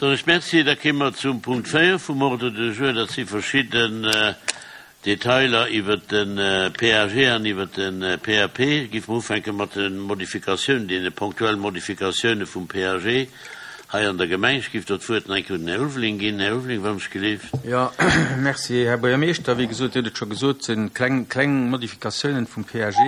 Soen ech Merci. Da kéime mer zum Punkt 4 vum Ordre du jour. Dat si verschidden Detailer iwwert de PAG an iwwert de PAP. Géife mer ufänke mat de Modifikatiounen, deene ponktuelle Modifikatioune vum PAG hei an der Gemeng. Ech géif do d'Wuert nach eng Kéier un den Här Ulveling ginn. Här Ulveling, wann ech gelift. Jo, Merci, Här Buergermeeschter. Wéi gesot, Dir hutt et scho gesot, et si kleng, kleng Modifikatiounen vum PAG.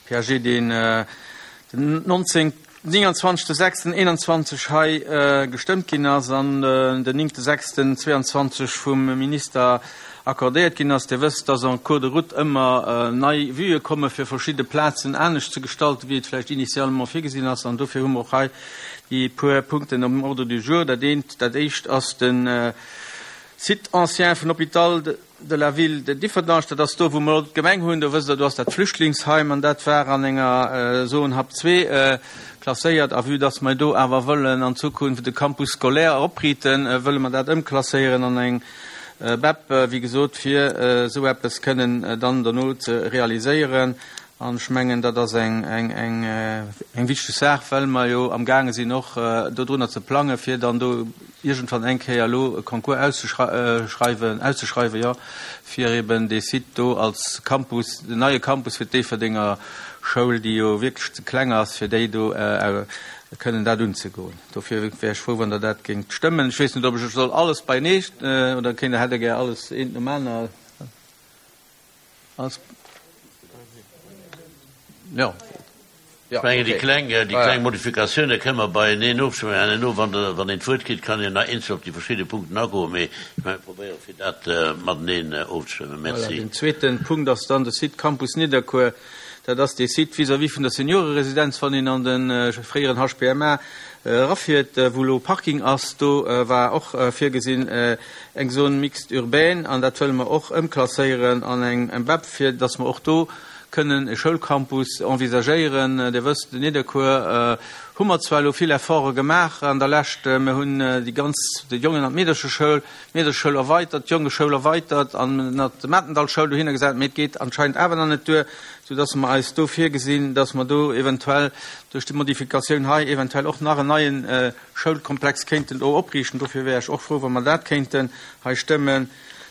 PAG, deen den 19. 29.06.21 hei gestëmmt ginn ass an den 9.06.22 vum Minister accordéiert ginn ass. Dir wësst, dass en cours de route ëmmer nei Vuë komme fir verschidde Plazen anescht ze gestalten, wéi et vläicht initialement virgesinn ass. An dofir hu mer och hei déi puer Punkten um Ordre du jour. Dat eent, dat éischt ass de Site ancien vun Hôpital de la Ville de Differdange, dat ass do, wou mer elo d'Gemeng hunn, do wësst Der, do ass dat Flüchtlingsheim an dat war an enger Zone Hub 2 klasséiert. A vue dass mer do awer wëllen an Zukunft e Campus scolaire opriiten, wëlle mer dat ëmklasséieren an eng BEP, wéi gesot, fir esou eppes kënnen dann dono ze realiséieren. An ech mengen, dat ass eng, eng, eng, eng wichteg Saach, well mer jo amgaange sinn och dodrunner ze plangen, fir dann do iergendwann eng Kéier elo e Concours auszeschreiwen, auszeschreiwen, jo, fir eben dee Site do als Campus, den neie Campus fir d'Déifferdenger Schoul, déi jo wierklech ze kleng ass, fir déi do kënnen dat unzegoen. Dofir wär ech frou, wann Der dat géingt stëmmen. Ech weess net, ob ech soll alles beienee, oder kéint Der, hätt Der gär alles eent nom aner? Als Jo. Ech mengen, déi kleng, déi kleng Modifikatioune kënne mer beieneen ofstëmmen. An herno, wann Der, wann een d'Wuert kritt, kann een nach eenzel op déi verschidde Punkten agoen. Mee ech mengen, mir probéiere fir dat mateneen ofzestëmmen. Merci. Voilà, den zweeten Punkt ass dann de Site Campus Nidderkuer. Dat ass dee Site vis-à-vis vun der Senioreresidenz, wann een an de fréieren HPMA erafiert, wou elo Parking ass. Do war och virgesinn, eng Zone mixte urbaine, an dat wëlle mer och ëmklasséieren an eng MBEP, fir datt mer och do kënnen e Schoulcampus envisagéieren. Dir wësst, Nidderkuer hu mer zwar elo vill Efforte gemaach an der Lescht, mer hunn déi ganz, déi Jongen an d'Meedercheschoul, d'Meedercheschoul erweitert, d'Jongeschoul erweitert an nach d'Matendallschoul dohinner gesat, mee et geet anscheinend awer nach net duer, soudatt mer eis do virgesinn, datt mer do eventuell duerch déi Modifikatioun hei eventuell och nach en neien Schoulkomplex kéinten do opriichten. Dofir wär ech och frou, wa mer dat kéinten hei stëmmen.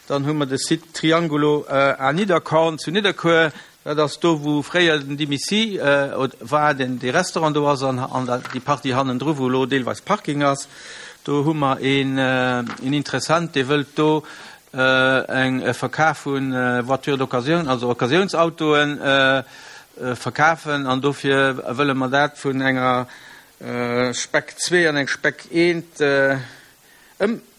Dann hu mer de Site Triangulo à Nidderkorn zu Nidderkuer. Dat ass do, wou fréier den Dimisi war, deen dee Restaurant do ass, an an déi Partie hannendru, wou elo deelweis Parking ass. Do hu mer een Interessent, dee wëllt do eng e Verkaf vu Voitures d'occasion, also Occasiounsautoen, verkafen. An dofir wëlle mer dat vun enger Spec 2 an eng Spec 1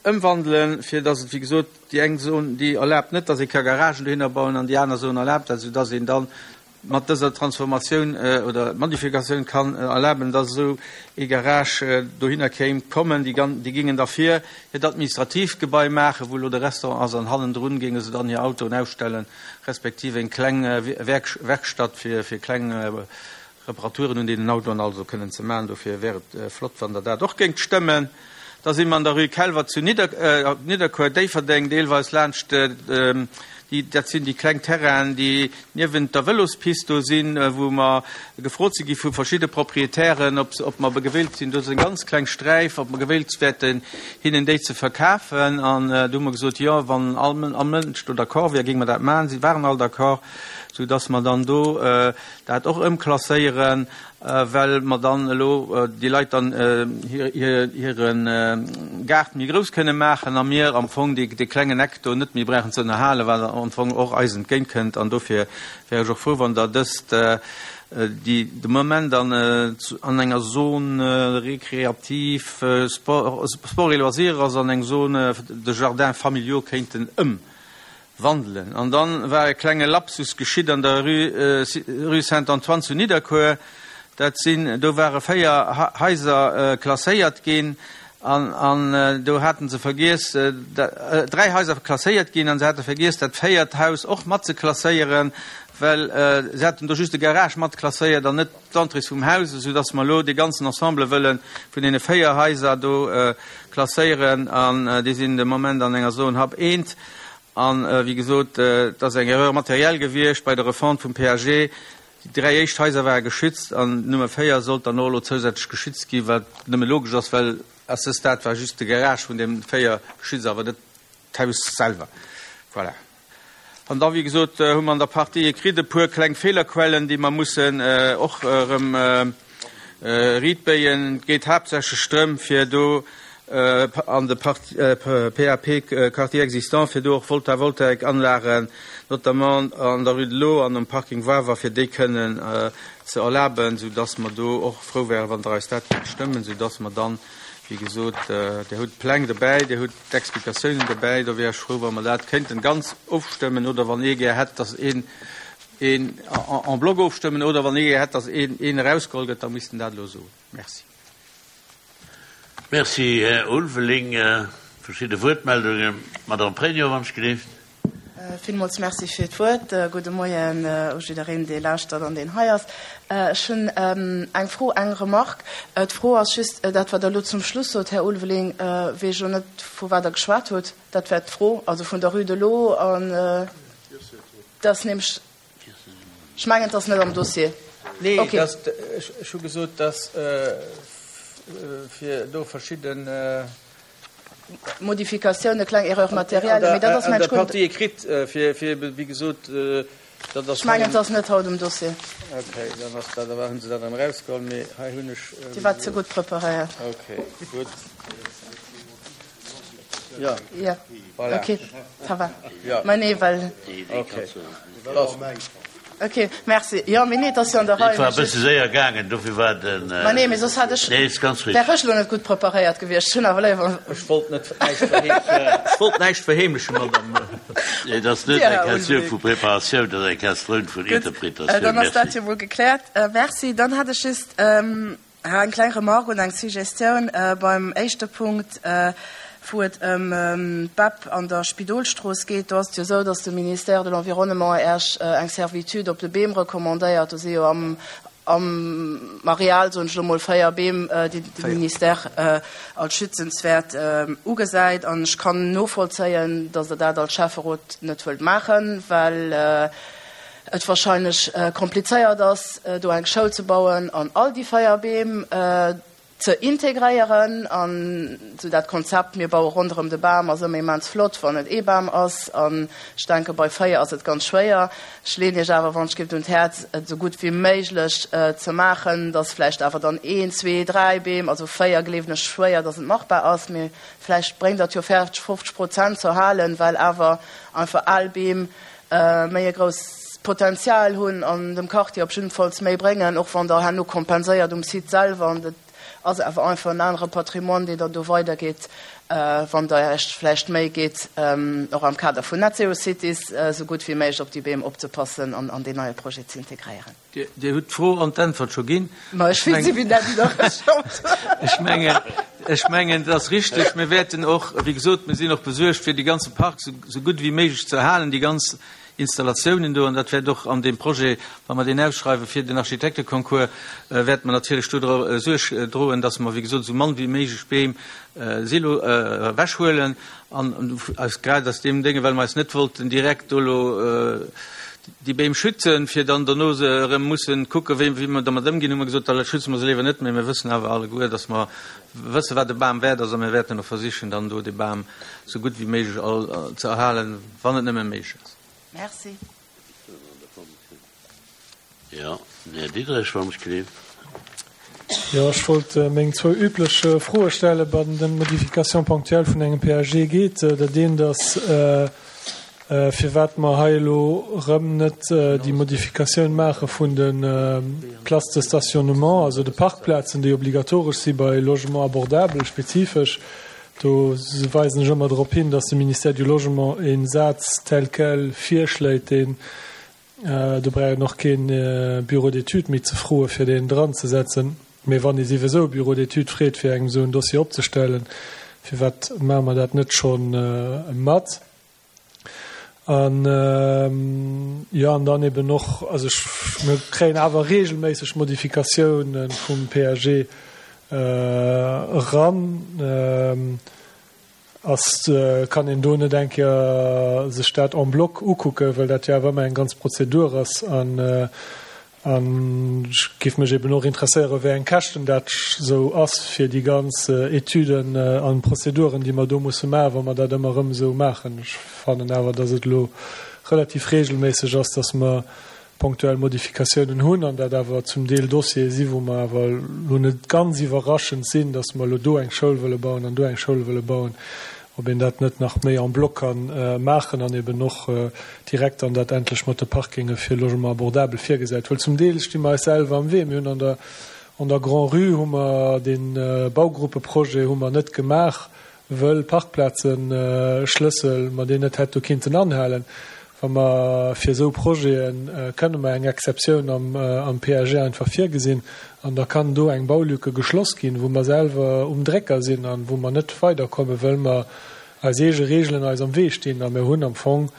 ëmwandelen, fir datt et, wéi gesot, déi eng Zon, déi erlaabt net, datt ee ka Garagen dohinner bauen, an déi aner Zon erlaabt dat, soudatt een da mat dëser Transformatioun oder Modifikatioun kann erlaben, datt esou ee Garage dohinner kéim kommen. Déi déi géingen da vir hiert administratiivt Gebai maachen, wou elo de Restaurant ass, an hannendrun géinge se dann hir Autoen ausstellen, respektiv eng kleng Werkstatt fir kleng Reparaturen un deenen Autoen also kënnen ze maachen. Dofir wär et flott, wann Der dat och géingt stëmmen. Da si mer an der Rue Kelwer zu Nidderkuer, Déifferdeng, deelweis laanscht déi, dat sinn déi kleng Terrainen, déi niewent der Vëlospist do sinn, wou mer gefrot si gi vu verschidde Proprietären, ob se, ob mer gewillt sinn, do ass eng ganz kleng Sträif, ob mer gewillt wäerten, hinnen déi ze verkafen. An do hu mer gesot, jo, wann all Mënsch do d'accord wär, géinge mer dat maachen. Si waren all d'accord, soudass mer dann do dat och ëmklasséieren, well mer dann elo déi Leit dann hire Gaart méi grouss kënne maachen a mir am Fong dee klengen Eck do net méi brauchen ze ënnerhalen, wat am Fong och eis entgéint kënnt. An dofir wär ech och frou, wann Der dëst, déi de Moment an enger Zone récréative, sport et loisirs ass, an eng Zone de jardins familiaux kéinten ëm. Wandelen. An dann war e klenge Lapsus geschitt an der Rue, Rue Saint-Antoine zu Nidderkuer. Dat sinn, do ware 4 Haiser klasséiert ginn an, an do haten se vergiess, 3 Haiser klasséiert ginn an se hate vergiess dat véiert Haus och mat ze klasséieren, well se haten do just de Garage mat klasséiert an net d'Entrées vum Haus, esou dass mer elo dee ganzen Ensemble wëlle vun deene 4 Haiser do klasséieren an déi sinn de Moment an enger Zone Hub 1. An, wéi gesot, et ass eng Erreur matérielle gewiescht bei der Refonte vum PAG. Déi 3 éischt Haiser ware geschützt an d'Nummer 4 sollt dann och elo zousätzlech geschützt ginn, wat nëmme logesch ass, well. À ce stade war just de Garage vun deem 4 geschützt, awer net d'Haus selwer. Voilà. An da, wéi gesot, hu mer an der Partie écrite e puer kleng Feelerquellen, déi mer mussen och erëm riitbéien. Et geet haaptsächlech drëm, fir do an de PAP Quartier existant, fir do och Voltavoltaikanlagen, notamment an der Rue de l'Eau an um Parking Wawer, fir déi kënnen ze erlaben, soudass mer do och frou wären, wann Der eis dat géingt stëmmen, soudass mer dann, wéi gesot, Dir hutt d'Pläng dobäi, Dir hutt d'Explikatiounen dobäi, do wär ech frou, wa mer dat kéinten ganz ofstëmmen, oder wann ee gär hätt, dass een een en bloc ofstëmmen, oder wann ee gär hätt, dass een een erausgeholl gëtt, da misst en dat elo soen. Merci. Merci, Här Ulveling. Verschidde Wuertmeldungen. Madame Pregno, wann ech gelift. Villmools Merci fir d'Wuert. Gudde Moien u jiddereen, dee lauschtert an deen hei ass. Ech hunn eng Fro, eng Remarque. D'Fro ass just dat, wat Der elo zum Schluss sot, Här Ulveling, weess ech elo net, vu wat Der geschwat hutt. Dat war d'Fro, also vun der Rue de l'Eau an dat ass nämlech, ech mengen, et ass net am Dossier. Nee, ech hu gesot, dass fir do verschidden. Modifikatioun, e kleng Erreur matérielle, mee dat ass mensch guer net. An der Partie écrite, fir, fir, wéi gesot, dat ass. Ech mengen, et ass net haut um Dossier. Okay, dann ass dat awer, hu se dat erëm erausgeholl, mee hei hunn ech. Dir waart ze gutt preparéiert. Okay, gutt. Jo. Jo. Voilà. Okay, ça va. Jo. Mä nee, well. Okay. Ok, merci. Jo, mee nee, et ass jo an der Rei. Et war e bësse séier gaangen, dofir war den. Ma nee, mee soss hat ech. Nee, ass ganz richtig. Wär ech elo net gutt preparéiert gewiescht. Ech hunn awer léiwer. Ech wollt net näischt verheemlechen. Ech wollt näischt verheemlechen, Madame. Nee, et ass net eng Questioun vu Preparatioun, et ass eng Questioun vun Interpretatioun. Gutt, dann ass dat jo mol gekläert. Merci. Dann hat ech just. Eng kleng Remarque und eng Suggestioun beim éischte Punkt, wou et ëm d'BEP an der Spidolstrooss geet. Do ass et jo esou, datt de Ministère de l'Environnement Iech eng Servitude op de Beem recommandéiert. Do si jo am Areal, soen ech elo mol, 4 Beem, déi de Ministère als schützenswäert ugesäit. An ech kann novollzéien, datt Der dat als Schäfferot net wëllt maachen, well et wahrscheinlech komplizéiert ass, do eng Schoul ze bauen an all déi 4 Beem ze integréieren. An esou dat Konzept, mir baue ronderëm de Bam, ass ëmmer immens flott, wann et ee Bam ass. An ech denke bei 4 ass et ganz schwéier. Ech leeën Iech awer wann ech giff un d'Häerz, et esou gutt wéi méiglech ze maachen, dass vläicht awer dann een, zwee, dräi Beem, also 4 gleewen ech schwéier, dass et machbar ass, mee vläicht bréngt Der et jo fäerdeg 50 Prozent ze erhalen, well awer einfach al Beem méi e grousst Potenzial hunn an dem Quartier op jiddefalls méi bréngen, och wann Der herno kompenséiert um Site selwer. An et ass awer einfach en anere Patrimoine, deen Der do weidergitt, wann Der Iech vläicht Méi gitt, och am Kader vun Net Zero Cities, esou gutt wéi méiglech op déi Beem opzepassen an an deen neie Projet ze integréieren. Dir hutt d'Fro an d'Äntwert scho ginn. Ma ech weess wéi dat iwwerraschend. Ech mengen, ech mengen, et ass richteg. Mir wäerten och, wéi gesot, mir sinn och besuergt, fir dee ganze Park esou gutt wéi méiglech ze erhalen, déi ganz Installatiounen do. An dat wäert och an deem Projet, wa mer deen ausschreiwe fir den Architekteconcours, wäerte mer natierlech do dra Suerg droen, dass mer, wéi gesot, esou mann wéi méiglech Beem Silo ewechhuelen. An aus, grad aus deem Dénge, well mer eis net wollten direkt do elo déi Beem schützen, fir dann dono se erëm mussen kucken, wéi, wéi mer dermat ëmginn, hu mer gesot, da schütze mer se léiwer net, mee mir wëssen awer alleguer, dass mer wëssen, wat e Bam wäert ass, a mir wäerten och versichen, dann do dee Bam esou gutt wéi méiglech all ze erhalen, wann et nëmme méiglech ass. Merci. Jo, den Här Diderich, wann ech gleef. Jo, ech wollt meng zwou üblech Froe stellen, bei den Modifications ponctuelles vun engem PAG geet. Dat eent ass, firwat mer hei elo erëm net déi Modifikatioun maache vun de Places de stationnement, also de Parkplazen, déi obligatoresch si bei Logements abordables spezifesch. Do weisen ech ëmmer drop hin, dass de Ministère du Logement e Saz tel quel virschléit, deen Do brauch een och keen Bureau d'études méi ze froe fir deen dran ze setzen. Mee wann ee siwesou e Bureau d'études freet fir engem esou en Dossier opzestellen, firwat maache mer dat net scho mat? An jo, an dann eben och, also ech, mir kréien awer regelméisseg Modifikatiounen vum PAG eran. Ass, kann een do net eng Kéier sech dat en bloc ukucken, well dat jo awer ëmmer eng ganz Prozedur ass an. An ech géif mech eben och interesséieren, wéi eng Käschten dat esou ass fir déi ganz Etüden an Prozeduren, déi mer do musse maachen, wa mer dat ëmmer erëm esou maachen. Ech fannen awer, dass et elo relativ regelméisseg ass, dass mer ponktuell Modifikatiounen hunn an dat awer zum Deel Dossiere si wou mer awer elo net ganz iwwerraschend sinn, datt mer elo do eng Schoul wëlle bauen an do eng Schoul wëlle bauen, ob een dat net nach méi en bloc ka maachen an eben och direkt dann dat endlech mat de Parkinge fir Logement abordable virgesäit. Well zum Deel sti mer eis selwer am Wee. Mir hunn an der an der Grand-Rue hu mer dee Baugruppeprojet hu mer net gemaach, wëll Parkplazenschlëssel mer deen net hätt do kinnten anhalen. Wa mer fir esou Projete kënne mer eng Exceptioun am PAG einfach virgesinn an da kann do eng Baulücke geschloss ginn, wou mer selwer um Drécker sinn an wou mer net weiderkommen, wëll mer eis eege Regelen eis am Wee stinn. A mir hunn am Fong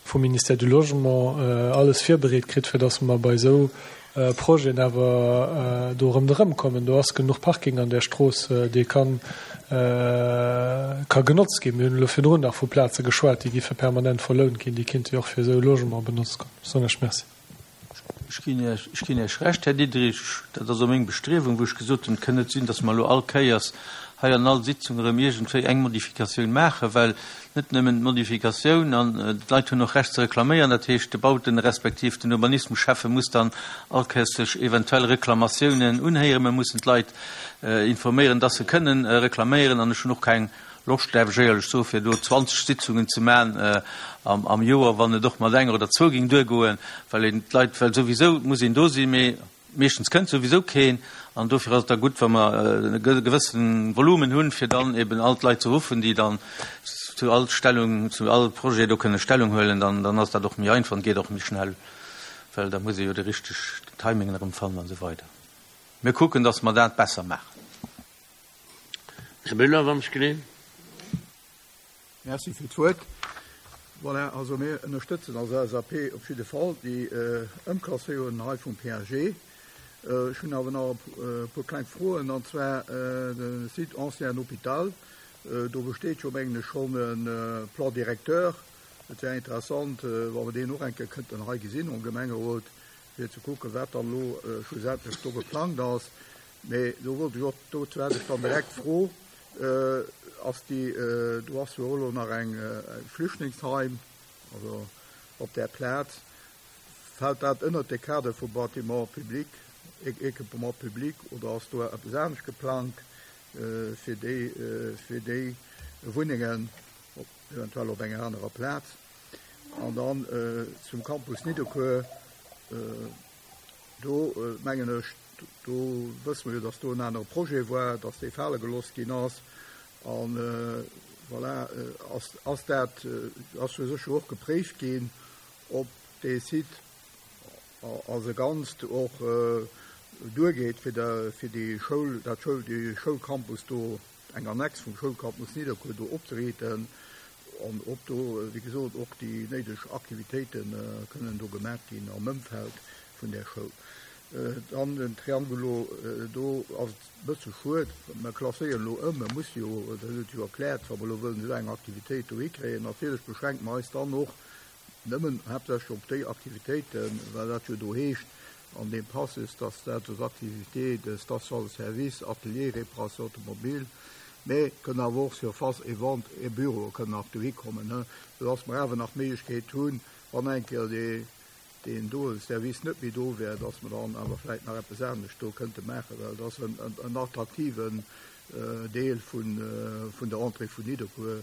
vum Ministère du Logement alles virbereet kritt, fir dass mer bei esou Projeten awer do ronderëm kommen. Do ass genuch Parking an där Strooss, dee kann ka genotzt ginn. Mir hunn elo virdrun nach vu Plaze geschwat, déi giffe permanent verlount ginn, déi kinnte jo och fir esou Logement benotzt ginn. Soen ech Merci. Ech ginn Iech, ech ginn Iech Recht, Här Diderich. Dat ass och meng Bestriewung, wou ech gesot hunn, et kënn net sinn, dass mer elo all Kéiers hei an all Sitzung erëm iergendwéi eng Modifikatioun maachen, well net nëmmen d'Modifikatioun, an d'Leit hunn och Recht ze reklaméieren, dat heescht de Bauten respektiv den Urbanismusschäffe muss dann all Kéiers sech eventuell Reklamatiounen unhéieren. Mir mussen d'Leit informéieren, dass se kënnen reklaméieren an ech hunn och keng Loscht, däerf ech éierlech soen, fir do 20 Sitzungen ze maachen am Joer, wann et och mat enger oder zwou géing duergoen, well een d'Leit, well souwisou muss een do sinn, mee Meeschtens kënnt souwisou keen an dofir ass et da gutt, wa mer e gewësse Volumen hunn, fir dann eben all d'Leit ze ruffen, déi dann zu all Stellung, zu all Projet do kënne Stellung huelen. Dann, dann ass dat och méi einfach an geet och méi schnell, well da muss ee jo de richteg Timingen erëm fannen an esou weider. Mir kucken, dass mer dat besser maachen. Här Müller, wann ech genee. Merci fir d'Wuert. Voilà, also mir ënnerstëtzen als LSAP op jidde Fall déi Ëmklasséierung hei vum PAG. Ech hunn awer nach e puer kleng Froen, an zwar de Site Ancien Hôpital. Do besteet jo, mengen ech, schonn e Plan directeur. Et wär interessant, wa mer deen och eng Kéier kënnten hei gesinn am Gemengerot, fir ze kucken, wat dann elo schlussendlech do geplangt ass. Mee do wollt ech och, dozou hätt ech dann direkt d'Fro, Ass déi, do ass jo och elo nach eng Flüchtlingsheim, also op där Plaz, fält dat ënnert de Kader vu Bâtiment public, Équipement public oder ass do eppes anescht geplangt fir déi, fir déi Wunnengen, eventuell op enger anerer Plaz? An dann zum Campus Nidderkuer, do mengen ech, Do wësse mer jo, dass do en anere Projet war, dass dee fale gelooss ginn ass. A voilà, ass, ass dat, ass jo sécher och gepréift ginn, ob dee Site als e Ganzt och duergeet, fir de, fir déi Schoul, dat Schoul, dee Schoulcampus do, eng Annex vum Schoulcampus Nidderkuer do opzeriiten an ob do, wéi gesot, och déi néideg Aktivitéite kënnen do gemaach ginn am Ëmfeld vun där Schoul. Dann den Triangulo, do ass et e bësse schued, mer klasséieren elo ëm, mer musse jo, dat huet jo erkläert, wa mer elo wëllen esou eng Aktivitéit do hikréien, natierlech beschränke mer eis dann och nëmmen haaptsächlech op déi Aktivitéiten, well dat jo do heescht an deem Passus, dass dat aux activités de station de service, atelier, réparation automobile, mä kënnen awer och Surface et vente et bureau kënnen nach dohi kommen, soudass mer awer nach d'Méiglechkeet hunn, wann eng Kéier dee deen doe Service net méi do wär, dass mer dann awer vläicht nach eppes anescht do kënnte maachen, well et ass en attraktiven Deel vun der Entrée vun Nidderkuer,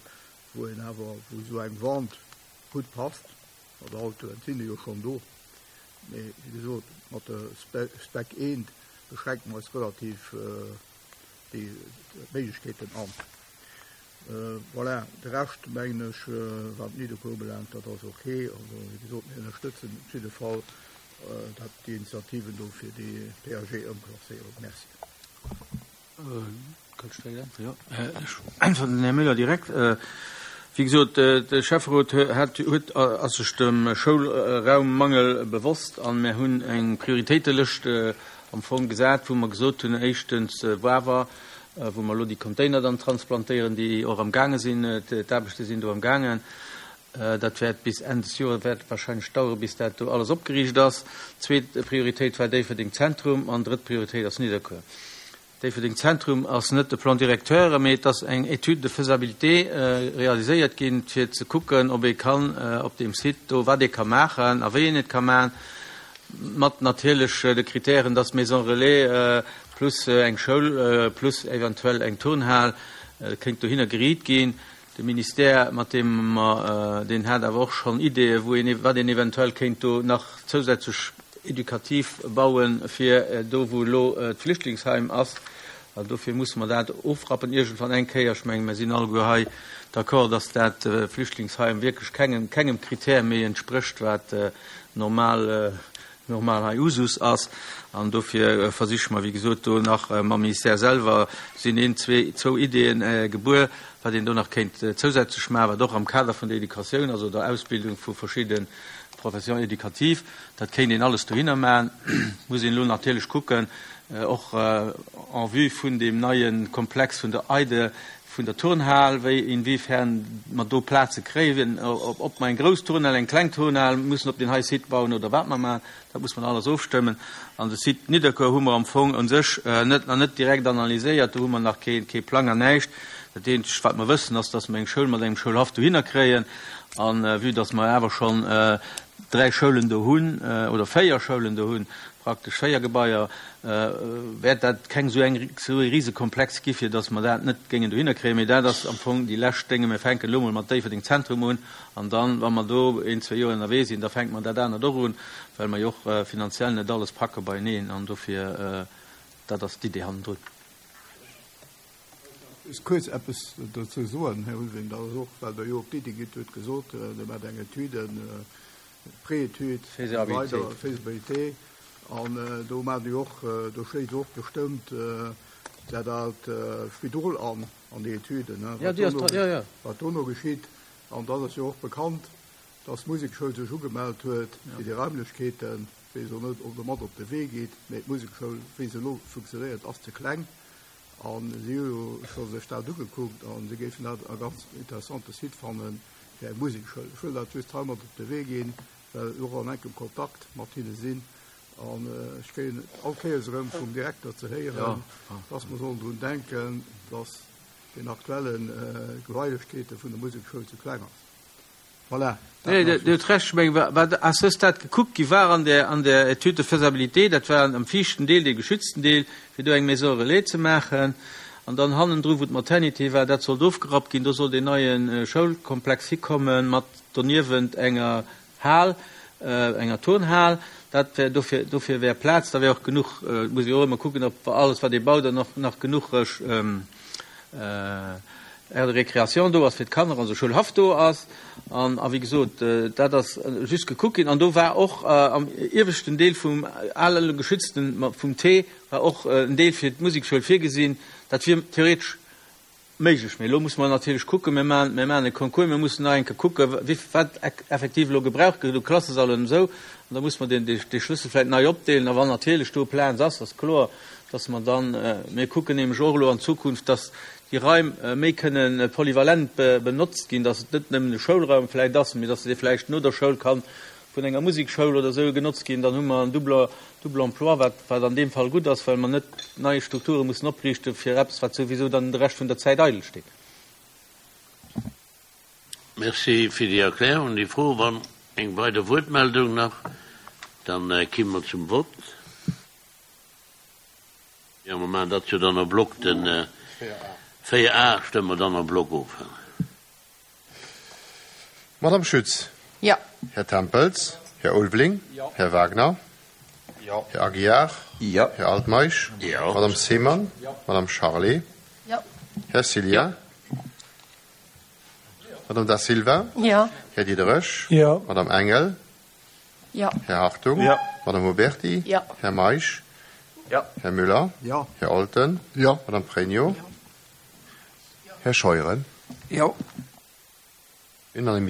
wou een awer, wou esou eng Vente gutt passt. Mat Autoen sinn déi jo schonn do, mee wéi gesot, mat der Spec 1 beschränke mer eis relativ déi Méiglechkeeten an. Voilà, de Rescht, mengen ech, wat Nidderkuer ubelaangt, dat ass ok. Also, wéi gesot, mir ënnerstëtzen op jidde Fall dat, déi Initiativen do fir déi PAG-Ëmklasséierung. Merci. Kann ech direkt äntweren? Jo, ech äntweren den Här Müller direkt. Wéi gesot, de Schäfferot hat, huet, ass sech dem Schoulraummangel bewosst an mir hunn eng Prioritéitelëscht am Fong gesat, wou mer gesot hunn, éischtens Wawer, wou mer elo déi Container dann transplantéieren, déi och am gaange sinn, d'Aarbechte sinn do am gaangen. Dat wäert bis Enn des Joers wäert et wahrscheinlech daueren, bis dat do alles opgeriicht ass. Zweet Prioritéit war Déifferdeng Zentrum an drëtt Prioritéit ass Nidderkuer. Déifferdeng Zentrum ass net de Plan directeur, mee et ass eng Étude de faisabilité realiséiert ginn, fir ze kucken, ob ee kann op deem Site do, wat ee ka maachen a wéi een et ka maachen, mat natierlech de Kritären, dass d'Maison relais plus eng Schoul plus eventuell eng Turnhal kéint dohinner geriit ginn. De Ministère, mat deem mer, deen hat awer och schonn Ideeë wou een, wat een eventuell kéint do nach zousätzlech edukativ bauen, fir do wou elo d'Flüchtlingsheim ass. An dofir musse mer dat ofrappen iergendwann eng Kéier. Ech mengen, mer sinn alleguer hei d'accord, dass dat Flüchtlingsheim wierklech kengem, kengem Kritär méi entsprécht, wat normal normal hei Usus ass. An dofir versiche mer, wéi gesot, do nach mam Ministère selwer sinn een, zwee, zwou Ideeën gebuer, wat een do nach kéint zousätzlech maachen, wat och am Kader vun der Educatioun ass oder Ausbildung vu verschidde Professions éducatives. Dat kéint een alles dohinner maachen. Muss een elo natierlech kucken, och en vue vun deem neie Komplex vun der EIDE, vun der Turnhal, wéi, inwiefern mer do Plaze kréien, ob mer eng grouss Turnhal, eng kleng Turnhal mussen op deen hei Site bauen oder wat mer maachen, dat muss man alles ofstëmmen. An de Site Nidderkuer hu mer am Fong u sech net, nach net direkt analyséiert, do hu mer nach kee, kee Plang an näischt. Dat eenzegt, wat mer wëssen, ass, dass mer eng Schoul mat engem Schoulhaff dohinner kréien. A vue dass mer awer schonn dräi Schoulen do hunn, oder véier Schoulen do hunn, praktesch véier Gebaier, wäert dat keng esou eng, esou e Risekomplex gi fir datt mer dat net géingen dohinner kréien. Mee dat ass am Fong déi lescht Dénge. Mir fänken elo mol mat Déifferdeng Zentrum un an dann, wa mer do een, zwee Joer ënnerwee sinn, da fänke mer dat anert och un, well mer jo och finanziell net alles packe beieneen. An dofir, dat ass d'Idee hannendrun. Just kuerz eppes dozou soen, Här Ulveling, dat ass och, well Der jo op d'Iddi gitt hutt gesot, Der maacht eng Etüde, Préétude, weider Faisabilité, an do maacht Dir och, do schléisst och bestëmmt dat aalt Spidol an, an déi Etüden, wat dono geschitt. An dat ass jo och bekannt, dass d'Musekschoul sech ugemellt huet fir déi Raimlechkeeten, weess elo net, ob Der mat op de Wee gitt, mä d'Musekschoul, wéi se elo funktionéiert, ass ze kleng. A si hu jo scho sech dat ugekuckt a si géifen dat e ganz interessante Site fanne fir eng Musekschoul. Ech wëll dat just hei mat op de Wee ginn, well ech och an enkem Kontakt mat hinne sinn. An ech kréien et all Kéiers erëm vum Direkter ze héieren, dass mer sollen drun denken, dass den aktuelle Gebailechkeete vun der Musekschoul ze kleng ass. Voilà, dat Nee, Dir hutt Recht. Ech mengen, wat à ce stade gekuckt gi war an där, an där Étude de faisabilité, dat war am viischten Deel, dee geschützten Deel, fir do eng Maison relais ze maachen. An dann hannendru, wou d'Maternité war, dat sollt ofgerappt ginn. Do sollt een neie Schoulkomplex hikommen, mat doniewent enger Hal, enger Turnhal. Dat wär, dofir, dofir wär Plaz. Da wär och genuch, et muss ee jo och ëmmer kucken, ob alles, wat ee baut, dann och nach genuch Aire de récréation do ass fir d'Kanner, also Schoulhaff do ass. An, a wéi gesot, dat ass just gekuckt ginn. An do war och am ieweschten Deel vum ale geschützten, vum T, war och en Deel fir d'Musekschoul virgesinn. Dat wier theoretesch méiglech. Mee elo musse mer natierlech kucken, mir maachen, mir maachen e Concours, mir mussen nach eng Kéier kucken, wéi, wat effektiv elo gebraucht gëtt u Klassesallen an esou. An da musse mer deen, dee Schlëssel vläicht nei opdeelen. A wann natierlech do Plaz ass, ass kloer, dass mer dann, mir kucken nämlech och elo an Zukunft, dass déi Raim méi kënne polyvalent benotzt ginn, dass et net nëmmen e Schoulraum vläicht ass, mee dass dee vläicht no der Schoul kann vun enger Musekschoul oder esou genotzt ginn. Dann hu mer en double, double emploi, wat, wat an deem Fall gutt ass, well mer net nei Strukture mussen opriichte fir eppes, wat souwisou dann de Rescht vun der Zäit eidel steet. Merci fir déi Erklärung. Déi Fro, wann eng weider Wuertmeldung nach, dann kimme mer zum Vott. Jo, mer maachen dat jo dann en bloc, den 4 A stëmme mer dann en bloc of. Madame Schütz. Jo. Här Tempels. Här Ulveling. Jo. Här Wagner. Jo. Här Aguiar. Jo. Här Altmeisch. Jo. Madame Seemann. Jo. Madame Charlé. Jo. Här Cillien. Madame Da Silva. Jo. Här Diderich. Jo. Madame Engel. Jo. Här Hartung. Jo. Madame Oberti. Jo. Här Meisch. Jo. Här Müller. Jo. Här Olten. Jo. Madame Pregno. Jo. Här Scheuren. Jo. Unanimité.